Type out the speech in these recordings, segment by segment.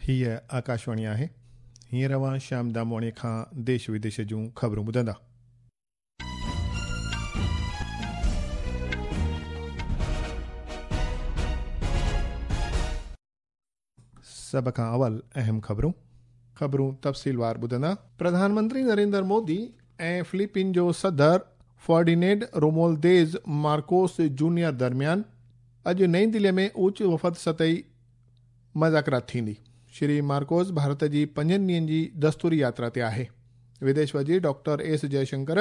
هيء آڪاشواڻي آهي. هينئر اوهان شيام دامواڻيء کان ديش وديش جون خبرون ٻڌندا. سڀ کان اول اهم خبرون. خبرون تفصيلوار ٻڌندا. پرڌان منتري نريندر مودي ۽ فلپين جو صدر فرڊينينڊ رومولديز مارڪوس جونيئر درميان اڄ نئين دهلي ۾ اوچ وفد سطحي مذاڪرات ٿيندي. شري مارڪوس ڀارت جي پنجن ڏينهن جي دستوري ياترا تي آهي. وديش وزير ڊاڪٽر ايس جئشنڪر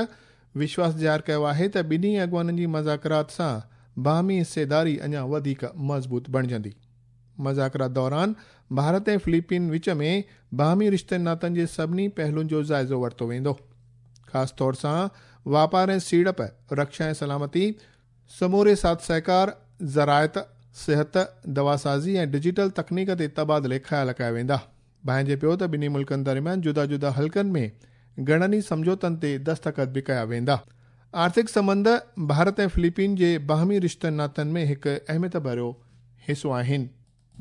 وشواس ظاهر ڪيو آهي ته ٻنهي اڳواڻن جي مذاڪرات سان باهمي حصيداري اڃا وڌيڪ مضبوط بڻجندي. مذاڪرات دوران ڀارت ۽ فلپين وچ ۾ باهمي رشتن ناتن جي سڀني پهلوئن جو جائزو ورتو ويندو. خاص طور سان واپار ۽ سيڙپ، رڪشا ۽ سلامتي، سموري ساٿ سهڪار، زراعت، صحت، دواسازي ۽ ڊجيٽل تڪنيڪ تي تبادلي خيال ڪيا ويندا. ڀانئجي پيو ته ٻنهي ملڪن درميان جدا جدا حلقن ۾ گهڻن ئي سمجهوتن تي دستخط به ڪيا ويندا. آرٿڪ سنٻنڌ ڀارت ۽ فلپين جي باهمي رشتن ناتن ۾ هڪ اهميت ڀريو حصو آهن.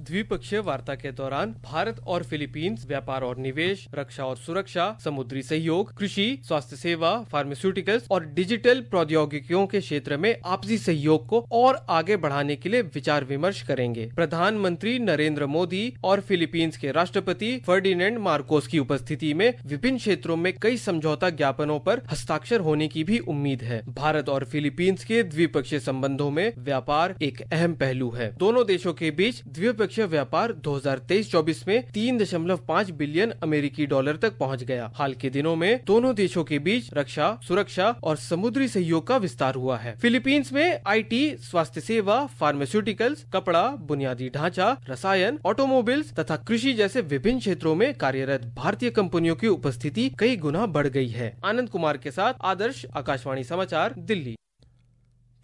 द्विपक्षीय वार्ता के दौरान भारत और फिलीपींस व्यापार और निवेश, रक्षा और सुरक्षा, समुद्री सहयोग, कृषि, स्वास्थ्य सेवा, फार्मास्यूटिकल्स और डिजिटल प्रौद्योगिकियों के क्षेत्र में आपसी सहयोग को और आगे बढ़ाने के लिए विचार विमर्श करेंगे। प्रधानमंत्री नरेंद्र मोदी और फिलीपींस के राष्ट्रपति फर्डिनेंड मार्कोस की उपस्थिति में विभिन्न क्षेत्रों में कई समझौता ज्ञापनों पर हस्ताक्षर होने की भी उम्मीद है। भारत और फिलीपींस के द्विपक्षीय संबंधों में व्यापार एक अहम पहलू है। दोनों देशों के बीच द्विपक्षीय व्यापार 2023-24 में 3.5 बिलियन अमेरिकी डॉलर तक पहुंच गया। हाल के दिनों में दोनों देशों के बीच रक्षा, सुरक्षा और समुद्री सहयोग का विस्तार हुआ है। फिलीपींस में IT, स्वास्थ्य सेवा, फार्मास्यूटिकल्स, कपड़ा, बुनियादी ढांचा, रसायन, ऑटोमोबाइल्स तथा कृषि जैसे विभिन्न क्षेत्रों में कार्यरत भारतीय कंपनियों की उपस्थिति कई गुना बढ़ गई है। आनंद कुमार के साथ आदर्श, आकाशवाणी समाचार, दिल्ली।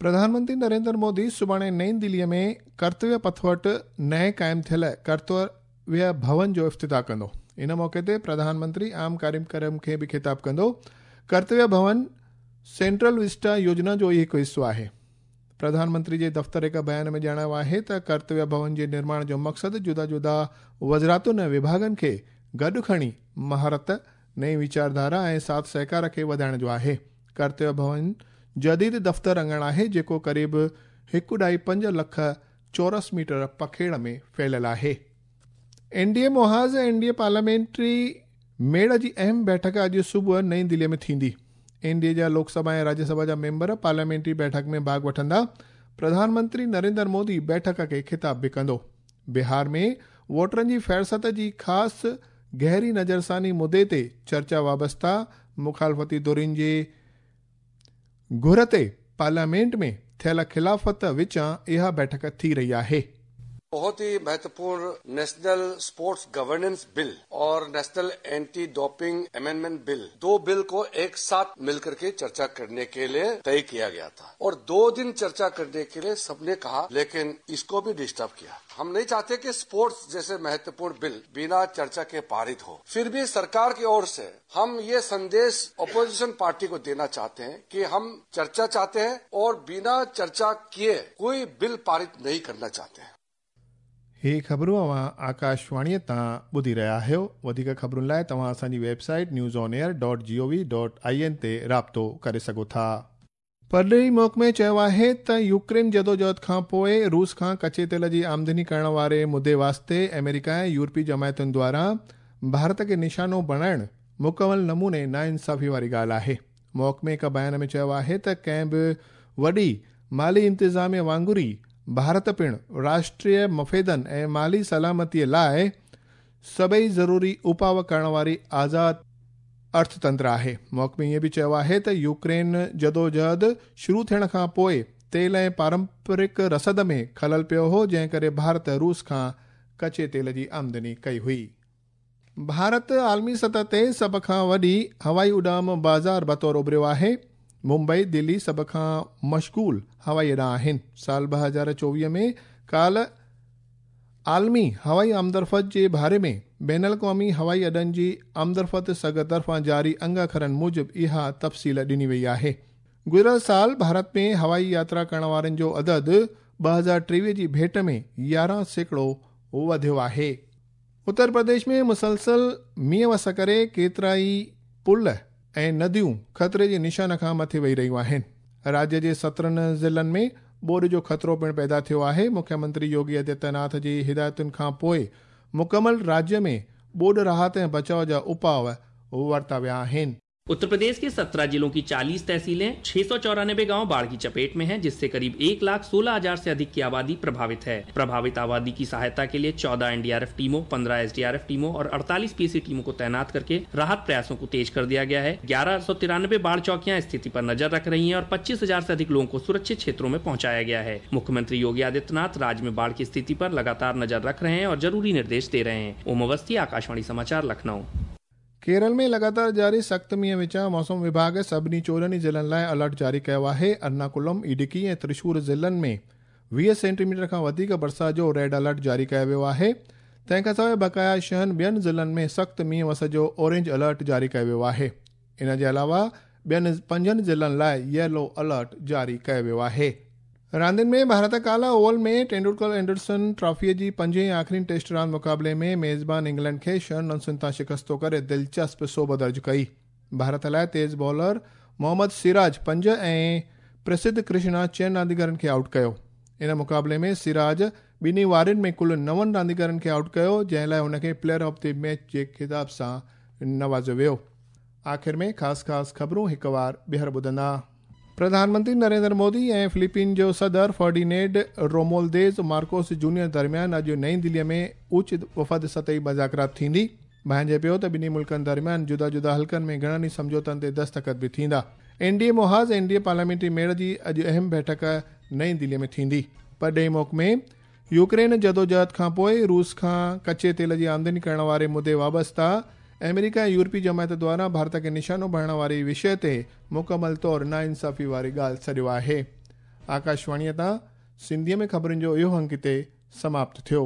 प्रधानमंत्री नरेंद्र मोदी सुभाणे नई दिल्लीअ में कर्तव्य पथ वटि नए क़ाइमु थियल कर्तव्य भवन जो इफ़्तिताह कंदो। इन मौक़े ते प्रधानमंत्री आम कार्यक्रम खे बि ख़िताब कंदो। कर्तव्य भवन सेंट्रल विस्टा योजना जो ई हिकु हिसो आहे। प्रधानमंत्री जे दफ़्तर हिकु बयान में ॼाणायो आहे त कर्तव्य भवन जे निर्माण जो मक़सदु जुदा जुदा वज़ारतुनि ऐं विभागनि खे गॾु खणी महारत, नई वीचारधारा ऐं साथ सहकार खे वधाइण जो आहे। कर्तव्य भवन जदीद दफ़्तर अंगण आहे जेको क़रीब 1.5 लख चौरस मीटर पखेड़ में फैलियल आहे। एन डी ए मुहाज़ ऐं एन डी ए पार्लियामेंट्री मेड़ जी अहम बैठक अॼु सुबुह नई दिल्लीअ में थींदी। एन डी ए जा लोकसभा ऐं राज्यसभा जा मेंबर पार्लियामेंट्री बैठक में भाॻ वठंदा। प्रधानमंत्री नरेंद्र मोदी बैठक खे ख़िताब बि कंदो। बिहार में वोटरनि जी फ़हरिस्त जी ख़ासि गहरी नज़रसानी मुद्दे ते चर्चा वाबस्ता मुखालफ़ती धुरियुनि जे घुर ते पार्लियामेंट में थियल ख़िलाफ़त विचां इहा बैठक थी रही आहे। बहुत ही महत्वपूर्ण नेशनल स्पोर्ट्स गवर्नेंस बिल और national anti doping amendment bill, दो बिल को एक साथ मिलकर के चर्चा करने के लिए तय किया गया था और 2 दिन चर्चा करने के लिए सबने कहा, लेकिन इसको भी डिस्टर्ब किया। हम नहीं चाहते कि स्पोर्ट्स जैसे महत्वपूर्ण बिल बिना चर्चा के पारित हो। फिर भी सरकार की ओर से हम ये संदेश अपोजिशन पार्टी को देना चाहते हैं कि हम चर्चा चाहते हैं और बिना चर्चा किए कोई बिल पारित नहीं करना चाहते हैं। ही ख़बरूं अव्हां आकाशवाणीअ तां ॿुधी रहिया आहियो। वधीक ख़बरुनि लाइ तव्हां असांजी website news on air dot G O V dot I N ते राब्तो करे सघो था। परॾेही महकमे चयो आहे त यूक्रेन जदोजहद खां पोइ रूस खां कचे तेल जी आमदनी करण वारे मुद्दे वास्ते अमेरिका ऐं यूरोपी जमायतुनि द्वारा भारत खे निशानो बणाइण मुकमल नमूने नाइंसाफ़ी वारी ॻाल्हि आहे। महकमे हिकु बयान में चयो आहे त कंहिं बि वॾी माली इंतिज़ामिया वांगुरु ई भारत पिणु राष्ट्रीय मफ़ेदनि ऐं माली सलामतीअ लाइ सभई ज़रूरी उपाव करण वारी आज़ाद अर्थतंत्र आहे। महकमे ईअं बि चयो आहे त यूक्रेन जदोजहद शुरू थियण खां पोइ तेल ऐं पारंपरिक रसद में ख़लल पियो हो, जंहिं करे भारत रूस खां कचे तेल जी आमदनी कई हुई। भारत आलमी सतह ते सभ खां वॾी हवाई उॾाम बाज़ार बतौर उभरियो आहे। मुंबई, दिल्ली सभ खां मशगूल हवाई अॾा आहिनि। साल 2024 में काल आलमी हवाई आमदरफ़त जे बारे में बैन अल-क़वामी हवाई अॾनि जी आमदरफ़त सघ तरफ़ां जारी अंग अखरनि मूजिबि इहा तफ़सील ॾिनी वई आहे। गुज़िरियल साल भारत में हवाई यात्रा करण वारनि जो अदद 2023 जी भेंट में 11% वधियो आहे। اتر پرديش ۾ مسلسل مينهن وس ڪري ڪيترائي پل ۽ نديون خطري جي نشان کان مٿي وهي رهيون آهن. راجيه جي 17 ضلعن ۾ ٻوڏ جو خطرو پڻ پيدا ٿيو آهي. مکيه منتري يوگي آدتيه ناٿ جي هدايتن کان پوء مڪمل راجيه ۾ ٻوڏ راحت ۽ بچاء جا اپاء ورتا ويا آهن. उत्तर प्रदेश के 17 जिलों की 40 तहसीलें, 694 गांव बाढ़ की चपेट में हैं, जिससे करीब 1,16,000 से अधिक की आबादी प्रभावित है। प्रभावित आबादी की सहायता के लिए 14 एनडीआरएफ टीमों, 15 एसडीआरएफ टीमों और 48 पीएसी टीमों को तैनात करके राहत प्रयासों को तेज कर दिया गया है। 1193 बाढ़ चौकियां स्थिति पर नजर रख रही हैं और 25,000 से अधिक लोगों को सुरक्षित क्षेत्रों में पहुंचाया गया है। मुख्यमंत्री योगी आदित्यनाथ राज्य में बाढ़ की स्थिति पर लगातार नजर रख रहे हैं और जरूरी निर्देश दे रहे हैं। ओम अवस्थी, आकाशवाणी समाचार, लखनऊ। केरल में लगातार जारी सख़्त मींहं विचां मौसम विभाग सभिनी 14 ज़िलनि लाइ अलर्ट जारी कयो आहे। एर्नाकुलम, इडुकी ऐं त्रिशूर ज़िलनि में 20 सेंटीमीटर खां वधीक बरसाति जो रेड अलर्ट जारी कयो वियो आहे। तंहिंखां सवाइ बक़ाया 6 ॿियनि ज़िलनि में सख़्त मींहं वस जो ऑरेंज अलर्ट जारी कयो वियो आहे। इन जे अलावा ॿियनि 5 ज़िलनि लाइ येलो अलर्ट जारी कयो वियो आहे। रांदियुनि में भारत काल्ह ओवल में टेंडुलकर एंडरसन ट्रॉफीअ जी पंजें ऐं आख़िरी टेस्ट रांदि मुक़ाबले में मेज़बान इंग्लैंड खे 6 रनसुनि तां शिकस्तो करे दिलचस्प सोभ दर्ज कई। भारत लाइ तेज़ बॉलर मोहम्मद सिराज 5 ऐं प्रसिद्ध कृष्णा 6 रांदीगरनि खे आउट कयो। इन मुक़ाबले में सिराज ॿिन्ही वारियुनि में कुल 9 रांदीगरनि खे आउट कयो, जंहिं लाइ हुनखे प्लेयर ऑफ the match जे ख़िताब सां नवाज़ियो वियो। आख़िर में ख़ासि ख़ासि ख़बरूं हिकु वार ॿीहर ॿुधंदा। प्रधानमंत्री नरेंद्र मोदी ऐं फिलीपीन जो सदर फर्डिनेंड रोमुआल्देज़ मार्कोस जूनियर दरमियान अॼु नई दिल्लीअ में उच्च वफ़द सतही मुज़ाकरात थींदी। भांइजे पियो त ॿिन्ही मुल्कनि दरमियान जुदा जुदा हल्कनि में घणनि ई सम्झौतनि ते दस्तख़त बि थींदा। एनडीए मुहाज़ एनडीए पार्लियामेंट्री मेड़ जी अॼु अहम बैठक नई दिल्लीअ में थींदी। परॾेही मुल्क में यूक्रेन जदोजहद खां पोइ रूस खां कच्चे तेल जी आमदनी करण वारे मुद्दे वाबस्ता अमेरिका ऐं यूरोपी जमायत द्वारा भारत खे निशानो बणाइण वारे विषय ते मुकमल तौर नाइंसाफ़ी वारी ॻाल्हि सॾियो आहे। आकाशवाणीअ तां सिंधीअ में ख़बरुनि जो इहो अंक हिते समाप्त थियो।